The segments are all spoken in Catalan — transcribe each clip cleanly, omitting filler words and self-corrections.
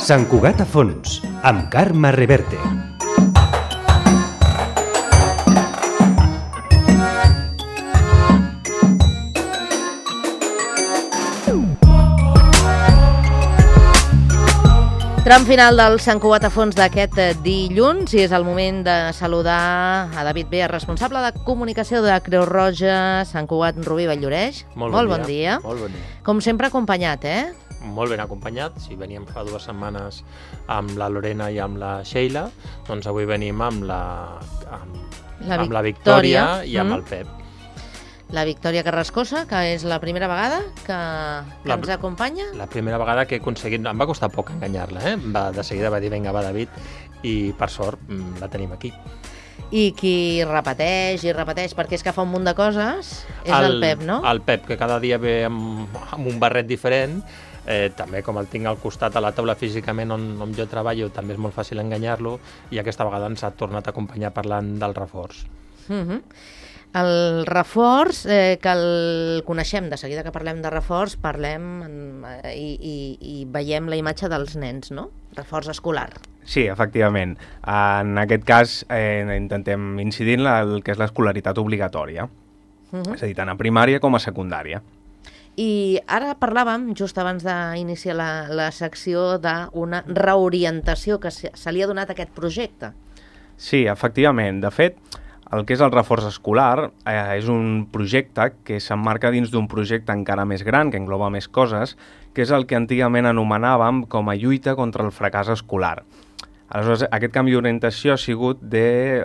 Sant Cugat a fons, amb Carme Reverte. Tram final del Sant Cugat a fons d'aquest dilluns i és el moment de saludar a David Bea, responsable de comunicació de Creu Roja, Sant Cugat, Rubí Vall-lloreix. Molt bon dia. Molt bon dia. Com sempre acompanyat, Molt ben acompanyat. Si veníem fa 2 setmanes amb la Lorena i amb la Sheila, doncs avui venim amb la Victòria i amb el Pep. La Victòria Carrascosa, que és la primera vegada que ens acompanya. La primera vegada que he aconseguit... Em va costar poc enganyar-la, De seguida va dir, vinga, va, David, i per sort la tenim aquí. I qui repeteix, perquè és que fa un munt de coses, és el Pep, no? El Pep, que cada dia ve amb un barret diferent, també com el tinc al costat a la taula físicament on jo treballo, també és molt fàcil enganyar-lo, i aquesta vegada ens ha tornat a acompanyar parlant del reforç. El reforç, que el coneixem, de seguida que parlem de reforç, parlem i veiem la imatge dels nens, no? Reforç escolar. Sí, efectivament. En aquest cas intentem incidir en el que és l'escolaritat obligatòria, és a dir, tant a primària com a secundària. I ara parlàvem, just abans d'iniciar la secció, d'una reorientació que se li ha donat a aquest projecte. Sí, efectivament. De fet, el que és el reforç escolar és un projecte que s'emmarca dins d'un projecte encara més gran, que engloba més coses, que és el que antigament anomenàvem com a lluita contra el fracàs escolar. Aleshores, aquest canvi d'orientació ha sigut de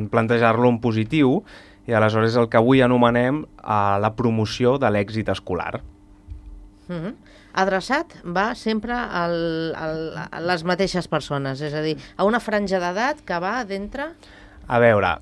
plantejar-lo en positiu i aleshores el que avui anomenem la promoció de l'èxit escolar. Adreçat va sempre a les mateixes persones, és a dir, a una franja d'edat que va d'entre... A veure,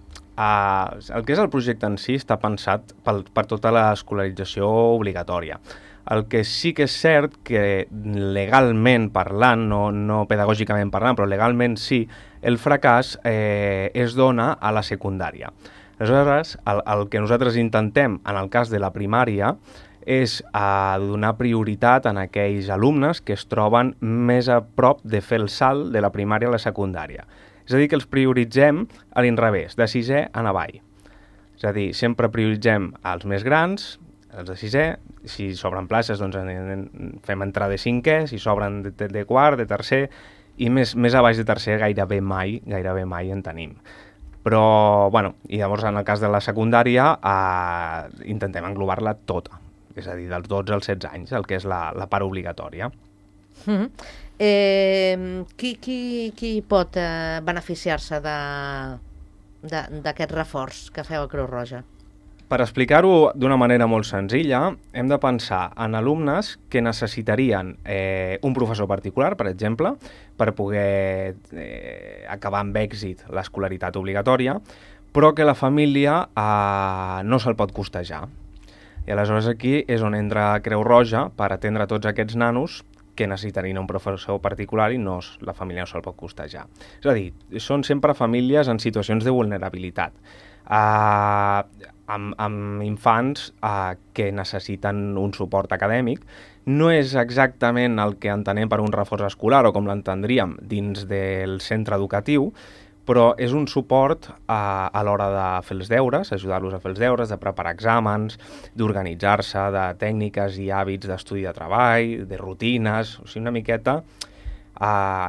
el que és el projecte en si està pensat per tota l'escolarització obligatòria. El que sí que és cert que legalment parlant, no pedagògicament parlant, però legalment sí, el fracàs es dona a la secundària. Aleshores, el que nosaltres intentem en el cas de la primària és donar prioritat a aquells alumnes que es troben més a prop de fer el salt de la primària a la secundària. És a dir, que els prioritzem a l'inrevés, de 6è en avall. És a dir, sempre prioritzem els més grans, els de 6è, si s'obren places doncs fem entrar de 5è, si s'obren de quart, de tercer, i més a baix de tercer gairebé mai en tenim. Però, bueno, i llavors en el cas de la secundària intentem englobar-la tota, és a dir, dels 12 als 16 anys, el que és la part obligatòria. Qui pot beneficiar-se d'aquest reforç que feu a Creu Roja? Per explicar-ho d'una manera molt senzilla, hem de pensar en alumnes que necessitarien un professor particular, per exemple, per poder acabar amb èxit l'escolaritat obligatòria, però que la família no se'l pot costejar. I aleshores aquí és on entra Creu Roja per atendre tots aquests nanos que necessitarien un professor particular i la família no se'l pot costejar. És a dir, són sempre famílies en situacions de vulnerabilitat, amb infants que necessiten un suport acadèmic. No és exactament el que entenem per un reforç escolar o com l'entendríem dins del centre educatiu, però és un suport a l'hora de fer els deures, ajudar-los a fer els deures, de preparar exàmens, d'organitzar-se, de tècniques i hàbits d'estudi de treball, de rutines, o sigui, una miqueta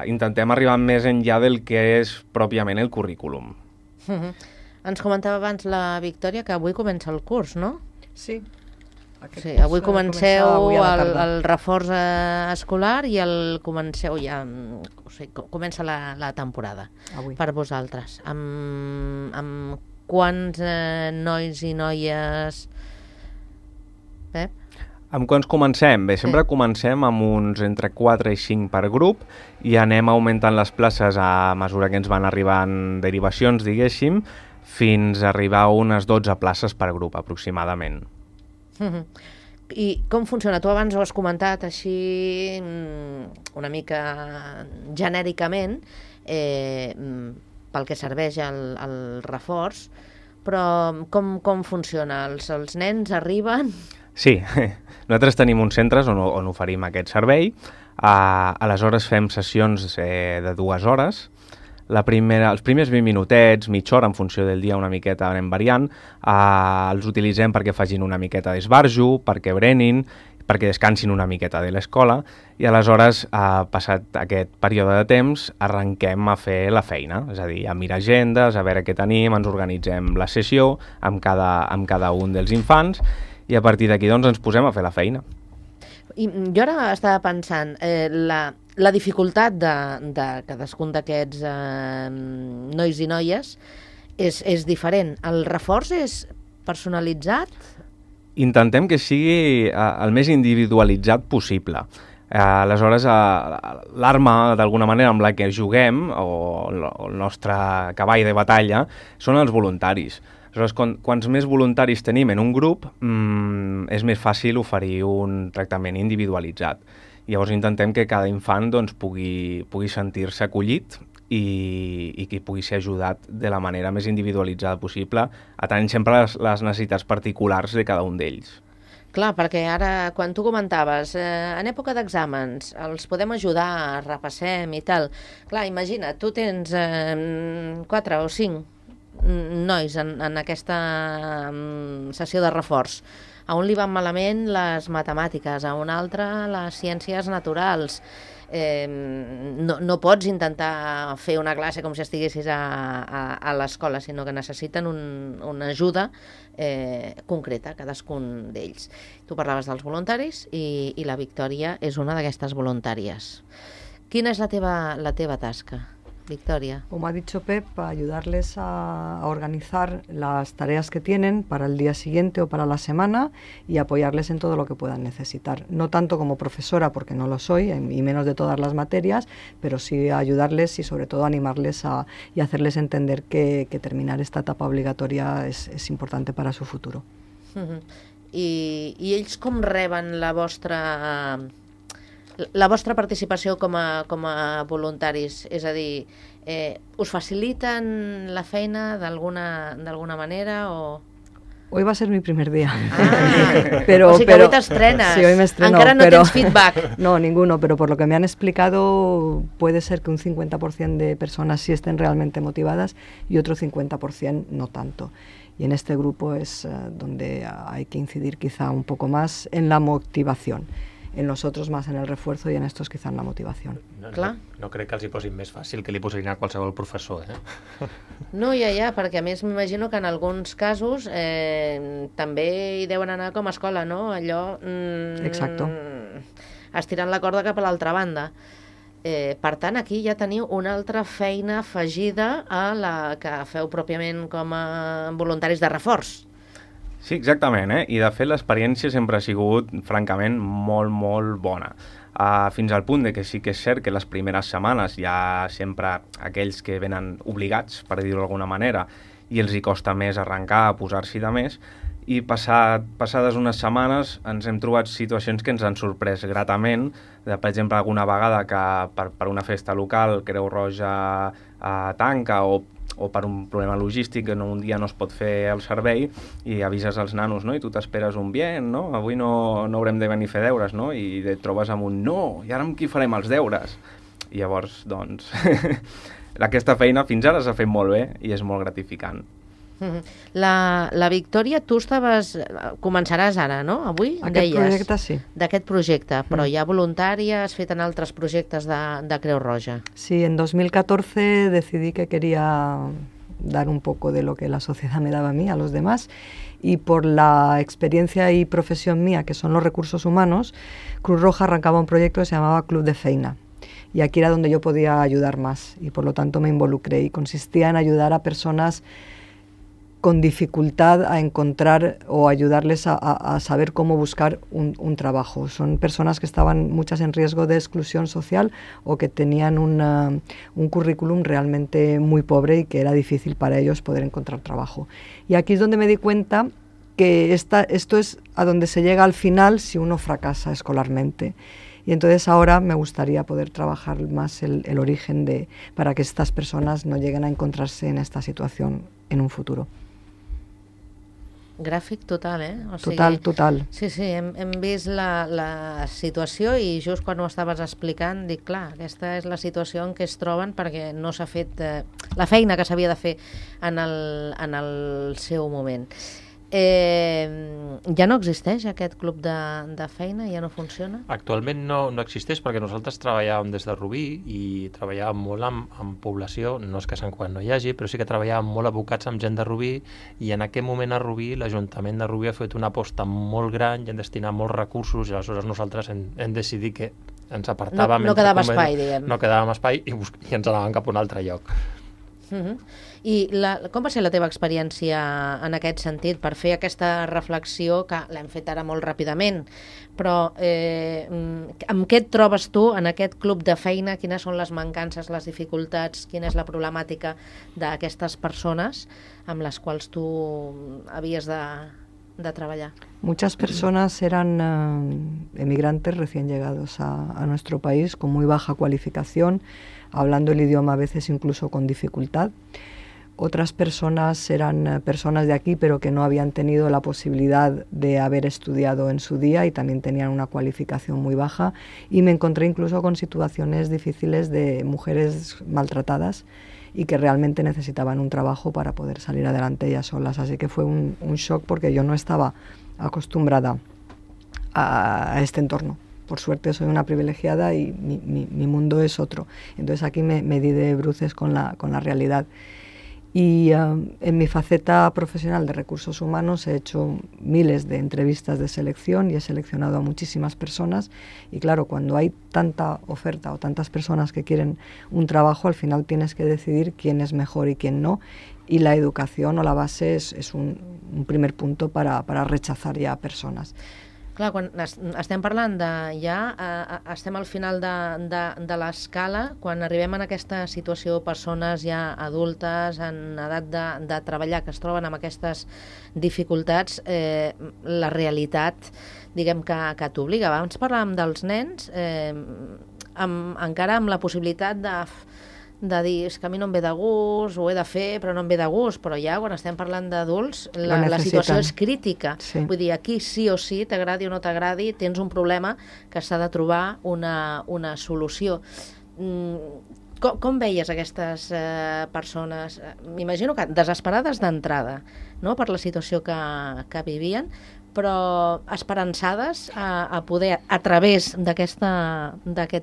intentem arribar més enllà del que és pròpiament el currículum. Ens comentava abans la Victòria que avui comença el curs, no? Sí. Sí, avui comenceu el reforç escolar i comenceu ja, comença la temporada avui per vosaltres. Amb quants nois i noies, Pep? Amb quants comencem? Bé, sempre comencem amb uns entre 4 i 5 per grup i anem augmentant les places a mesura que ens van arribant derivacions, diguéssim, fins a arribar a unes 12 places per grup, aproximadament. I com funciona? Tu abans ho has comentat així una mica genèricament pel que serveix el reforç, però com funciona? Els nens arriben? Sí, nosaltres tenim uns centres on oferim aquest servei. Aleshores fem sessions de 2 hores. Els primers 20 minutets, mitja hora, en funció del dia una miqueta anem variant, els utilitzem perquè facin una miqueta d'esbarjo, perquè berenin, perquè descansin una miqueta de l'escola, i aleshores, passat aquest període de temps, arrenquem a fer la feina, és a dir, a mirar agendes, a veure què tenim, ens organitzem la sessió amb cada un dels infants, i a partir d'aquí doncs, ens posem a fer la feina. I jo ara estava pensant, la dificultat de cadascun d'aquests nois i noies és diferent. El reforç és personalitzat? Intentem que sigui el més individualitzat possible. Aleshores, l'arma, d'alguna manera, amb la que juguem, o el nostre cavall de batalla, són els voluntaris. Aleshores, quants més voluntaris tenim en un grup, és més fàcil oferir un tractament individualitzat. Llavors intentem que cada infant doncs, pugui sentir-se acollit i que pugui ser ajudat de la manera més individualitzada possible, atenent sempre les necessitats particulars de cada un d'ells. Clar, perquè ara, quan tu comentaves, en època d'exàmens, els podem ajudar, repassem i tal. Clar, imagina, tu tens 4 o 5 nois en aquesta sessió de reforç. A un li van malament les matemàtiques, a un altre les ciències naturals. No pots intentar fer una classe com si estiguessis a l'escola, sinó que necessiten una ajuda concreta, cadascun d'ells. Tu parlaves dels voluntaris i la Victòria és una d'aquestes voluntàries. Quina és la teva tasca, Victoria? Como ha dicho Pep, ayudarles a organizar las tareas que tienen para el día siguiente o para la semana y apoyarles en todo lo que puedan necesitar. No tanto como profesora, porque no lo soy, y menos de todas las materias, pero sí ayudarles y sobre todo animarles y hacerles entender que terminar esta etapa obligatoria es importante para su futuro. I ells com reben la vostra participació com a voluntaris? És a dir, us faciliten la feina d'alguna manera o...? Hoy va a ser mi primer día. O sigui que avui t'estrenes. Sí, hoy me estreno. Encara no tens feedback. No, ninguno, pero por lo que me han explicado puede ser que un 50% de personas sí estén realmente motivadas y otro 50% no tanto. Y en este grupo es donde hay que incidir quizá un poco más en la motivación. En los otros más en el refuerzo y en estos quizá en la motivación. No crec que els hi posin més fàcil que li posarien a qualsevol professor, No, ja, perquè a més m'imagino que en alguns casos també hi deuen anar com a escola, no? Allò... Exacto. Estirant la corda cap a l'altra banda. Per tant, aquí ja teniu una altra feina afegida a la que feu pròpiament com a voluntaris de reforç. Sí, exactament, i de fet l'experiència sempre ha sigut, francament, molt, molt bona. Fins al punt de que sí que és cert que les primeres setmanes hi ha sempre aquells que venen obligats, per dir-ho d'alguna manera, i els hi costa més arrencar, posar-s'hi de més, i passades unes setmanes ens hem trobat situacions que ens han sorprès gratament, per exemple, alguna vegada que per una festa local Creu Roja tanca o per un problema logístic que un dia no es pot fer el servei i avises als nanos, no? I tu t'esperes un bien, no? Avui no haurem de venir a fer deures, no? I et trobes amb un no, i ara amb qui farem els deures? I llavors, doncs, aquesta feina fins ara s'ha fet molt bé i és molt gratificant. La Victòria, tu començaràs ara, no? Avui, Aquest projecte, sí. D'aquest projecte, però hi ha voluntària, has fet en altres projectes de Creu Roja. Sí, en 2014 decidí que quería dar un poco de lo que la sociedad me daba a mí, a los demás, y por la experiencia y profesión mía, que son los recursos humanos, Cruz Roja arrancaba un proyecto que se llamaba Club de Feina. Y aquí era donde yo podía ayudar más, y por lo tanto me involucré, y consistía en ayudar a personas con dificultad a encontrar o ayudarles a saber cómo buscar un trabajo. Son personas que estaban muchas en riesgo de exclusión social o que tenían un currículum realmente muy pobre y que era difícil para ellos poder encontrar trabajo. Y aquí es donde me di cuenta que esto es a donde se llega al final si uno fracasa escolarmente. Y entonces ahora me gustaría poder trabajar más el origen para que estas personas no lleguen a encontrarse en esta situación en un futuro. Gràfic total, O sigui, total. Sí, hem vist la situació i just quan ho estaves explicant dic, clar, aquesta és la situació en què es troben perquè no s'ha fet la feina que s'havia de fer en el seu moment. Ja no existeix aquest club de feina? Ja no funciona? Actualment no existeix perquè nosaltres treballàvem des de Rubí i treballàvem molt amb població, no és que Sant Cugat no hi hagi, però sí que treballàvem molt abocats amb gent de Rubí i en aquest moment a Rubí l'Ajuntament de Rubí ha fet una aposta molt gran i han destinat molts recursos i aleshores nosaltres hem decidit que ens apartàvem. No quedava espai, diguem. No quedàvem espai i ens anàvem cap a un altre lloc. I com va ser la teva experiència en aquest sentit per fer aquesta reflexió que l'hem fet ara molt ràpidament, però amb què et trobes tu en aquest club de feina? Quines són les mancances, les dificultats, quina és la problemàtica d'aquestes persones amb les quals tu havies de trabajar? Muchas personas eran emigrantes recién llegados a nuestro país con muy baja cualificación, hablando el idioma a veces incluso con dificultad. Otras personas eran personas de aquí pero que no habían tenido la posibilidad de haber estudiado en su día y también tenían una cualificación muy baja, y me encontré incluso con situaciones difíciles de mujeres maltratadas y que realmente necesitaban un trabajo para poder salir adelante ellas solas. Así que fue un shock porque yo no estaba acostumbrada a este entorno. Por suerte soy una privilegiada y mi mundo es otro. Entonces aquí me di de bruces con la realidad. Y en mi faceta profesional de recursos humanos he hecho miles de entrevistas de selección y he seleccionado a muchísimas personas. Y claro, cuando hay tanta oferta o tantas personas que quieren un trabajo, al final tienes que decidir quién es mejor y quién no. Y la educación o la base es un primer punto para rechazar ya a personas. Clar, quan estem parlant estem al final de l'escala, quan arribem en aquesta situació, persones ja adultes, en edat de treballar, que es troben amb aquestes dificultats, la realitat, diguem que t'obliga. Abans parlàvem dels nens, encara amb la possibilitat de dir, és que a mi no em ve de gust, ho he de fer, però no em ve de gust, però ja quan estem parlant d'adults, la situació és crítica. Sí. Vull dir, aquí sí o sí, t'agradi o no t'agradi, tens un problema que s'ha de trobar una solució. Com veies aquestes persones? M'imagino que desesperades d'entrada, no?, per la situació que vivien, però esperançades a poder, a través d'aquest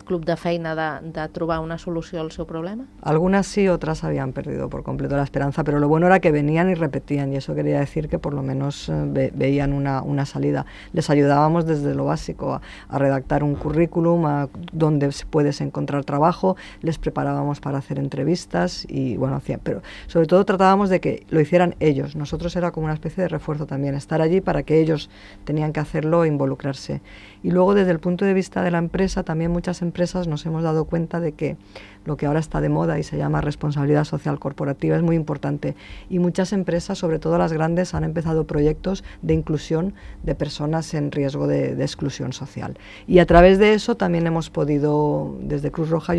club de feina, de trobar una solució al seu problema? Algunas sí, otras habían perdido por completo la esperanza, pero lo bueno era que venían y repetían, y eso quería decir que por lo menos veían una salida. Les ayudábamos desde lo básico a redactar un currículum, a dónde puedes encontrar trabajo, les preparábamos para hacer entrevistas y bueno, pero sobre todo tratábamos de que lo hicieran ellos. Nosotros era como una especie de refuerzo también, estar allí para que ellos tenían que hacerlo e involucrarse. Y luego desde el punto de vista de la empresa, también muchas empresas nos hemos dado cuenta de que lo que ahora está de moda y se llama responsabilidad social corporativa es muy importante, y muchas empresas, sobre todo las grandes, han empezado proyectos de inclusión de personas en riesgo de exclusión social. Y a través de eso también hemos podido, desde Cruz Roja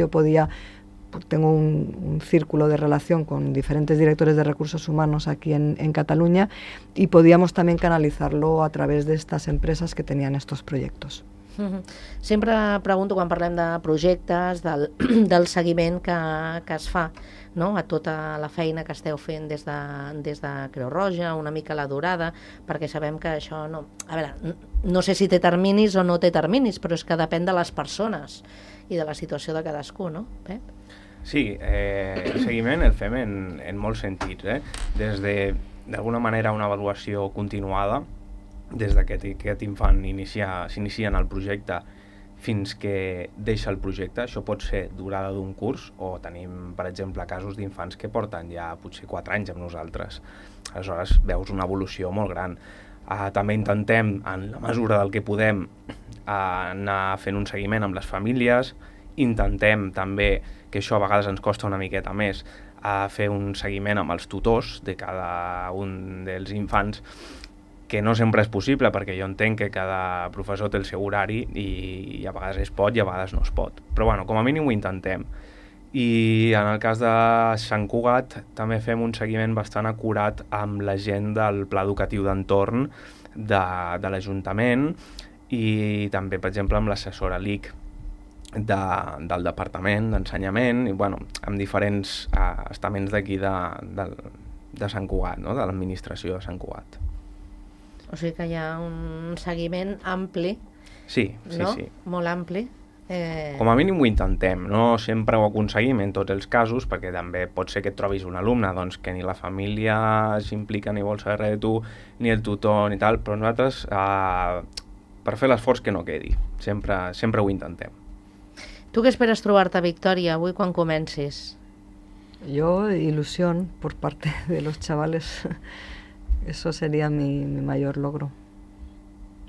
tengo un círculo de relación con diferentes directores de recursos humanos aquí en Cataluña, y podíamos también canalizarlo a través de estas empresas que tenían estos proyectos. Sempre pregunto, quan parlem de projectes, del seguiment que es fa, no?, a tota la feina que esteu fent des de Creu Roja, una mica la durada, perquè sabem que això no... A veure, no sé si té terminis o no té terminis, però és que depèn de les persones i de la situació de cadascú, no, Pep? Sí, el seguiment el fem en molts sentits, des d'alguna manera una avaluació continuada, des que aquest infant s'inicia en el projecte fins que deixa el projecte. Això pot ser durada d'un curs, o tenim, per exemple, casos d'infants que porten ja potser 4 anys amb nosaltres. Aleshores veus una evolució molt gran. També intentem, en la mesura del que podem, anar fent un seguiment amb les famílies. Intentem també, que això a vegades ens costa una miqueta més, fer un seguiment amb els tutors de cada un dels infants, que no sempre és possible, perquè jo entenc que cada professor té el seu horari i a vegades es pot i a vegades no es pot. Però bueno, com a mínim ho intentem. I en el cas de Sant Cugat també fem un seguiment bastant acurat amb la gent del pla educatiu d'entorn de l'Ajuntament i també, per exemple, amb l'assessora LIC del Departament d'Ensenyament i, bueno, amb diferents estaments d'aquí de Sant Cugat, no? De l'administració de Sant Cugat. O sigui que hi ha un seguiment ampli, Sí, no? sí. Molt ampli. Com a mínim ho intentem, no sempre ho aconseguim en tots els casos, perquè també pot ser que et trobis un alumne doncs, que ni la família s'implica ni vol saber res de tu, ni el tutor ni tal, però nosaltres, per fer l'esforç que no quedi, sempre ho intentem. Tu què esperes trobar-te a Victòria avui quan comencis? Yo, ilusión por parte de los chavales. Eso sería mi mayor logro.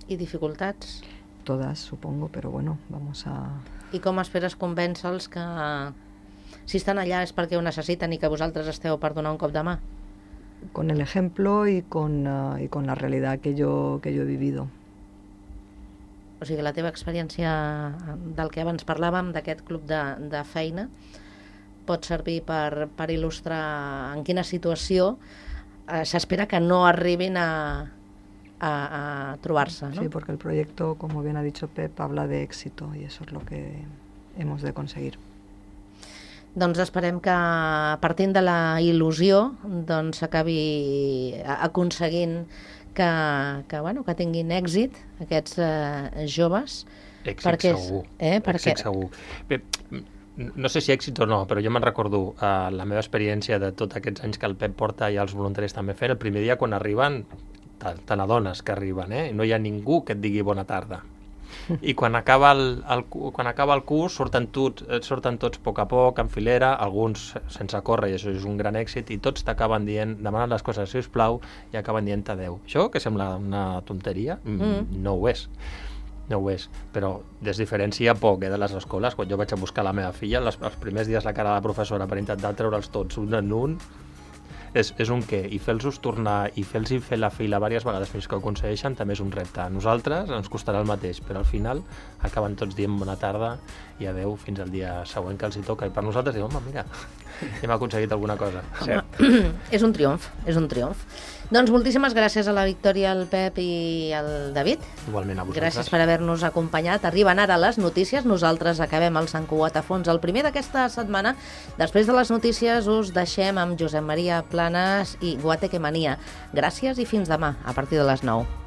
I dificultats? Todas, supongo, pero bueno, vamos a... I com esperes convèncer-los que si estan allà és perquè ho necessiten i que vosaltres esteu per donar un cop de mà? Con el ejemplo y con la realidad que yo he vivido. O sigui, la teva experiència del que abans parlàvem, d'aquest club de feina, pot servir per il·lustrar en quina situació s'espera que no arribin a trobar-se, ¿no? Sí, porque el proyecto, como bien ha dicho Pep, habla de éxito y eso es lo que hemos de conseguir. Doncs esperem que, partint de la il·lusió, doncs s'acabi aconseguint que tinguin èxit aquests joves. Èxit segur. Èxit segur. Bé, no sé si èxit o no, però jo me'n recordo la meva experiència de tots aquests anys que el Pep porta i els voluntaris també fent. El primer dia quan arriben, te n'adones que arriben, no hi ha ningú que et digui bona tarda. I quan acaba el curs surten tots a poc a poc, en filera, alguns sense córrer, i això és un gran èxit, i tots t'acaben dient, demanant les coses, si us plau, i acaben dient adeu. Això, que sembla una tonteria, no ho és. No ho és, però desdiferencia poc de les escoles. Quan jo vaig a buscar la meva filla, els primers dies la cara de la professora per intentar treure'ls tots un en un, és un què, i fer-los tornar i fer-los fer la fila diverses vegades fins que ho aconsegueixen també és un repte. A nosaltres ens costarà el mateix, però al final acaben tots dient bona tarda i adeu fins al dia següent que els hi toca, i per nosaltres diuen, home, mira, hem aconseguit alguna cosa. És un triomf, és un triomf. Doncs moltíssimes gràcies a la Victòria, al Pep i al David. Igualment a vosaltres. Gràcies per haver-nos acompanyat. Arriben ara les notícies, nosaltres acabem el Sant Cugat a fons el primer d'aquesta setmana. Després de les notícies us deixem amb Josep Maria Planes i Guateque Mania. Gràcies i fins demà, a partir de les 9.